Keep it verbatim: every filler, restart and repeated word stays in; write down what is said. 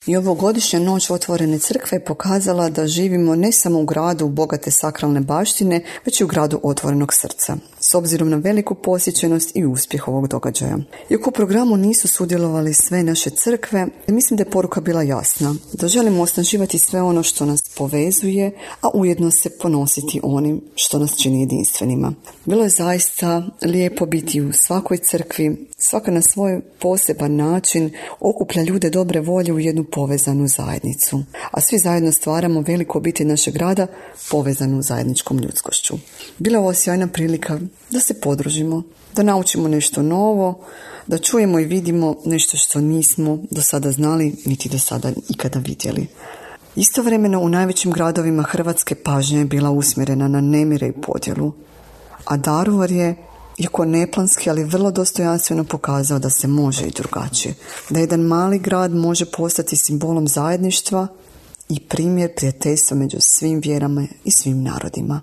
I ovogodišnja noć otvorene crkve je pokazala da živimo ne samo u gradu bogate sakralne baštine, već i u gradu otvorenog srca, s obzirom na veliku posjećenost i uspjeh ovog događaja. Iako u programu nisu sudjelovali sve naše crkve, mislim da je poruka bila jasna, da želimo osnaživati sve ono što nas povezuje, a ujedno se ponositi onim što nas čini jedinstvenima. Bilo je zaista lijepo biti u svakoj crkvi, svaka na svoj poseban način okuplja ljude dobre volje u jednu povezanu zajednicu, a svi zajedno stvaramo veliku obitelj našeg grada povezanu zajedničkom ljudskošću. Bila je ovo sjajna prilika da se podružimo, da naučimo nešto novo, da čujemo i vidimo nešto što nismo do sada znali, niti do sada ikada vidjeli. Istovremeno u najvećim gradovima Hrvatske pažnja je bila usmjerena na nemire i podjelu, a Daruvar je, iako neplanski, ali vrlo dostojanstveno pokazao da se može i drugačije, da jedan mali grad može postati simbolom zajedništva i primjer prijateljstva među svim vjerama i svim narodima.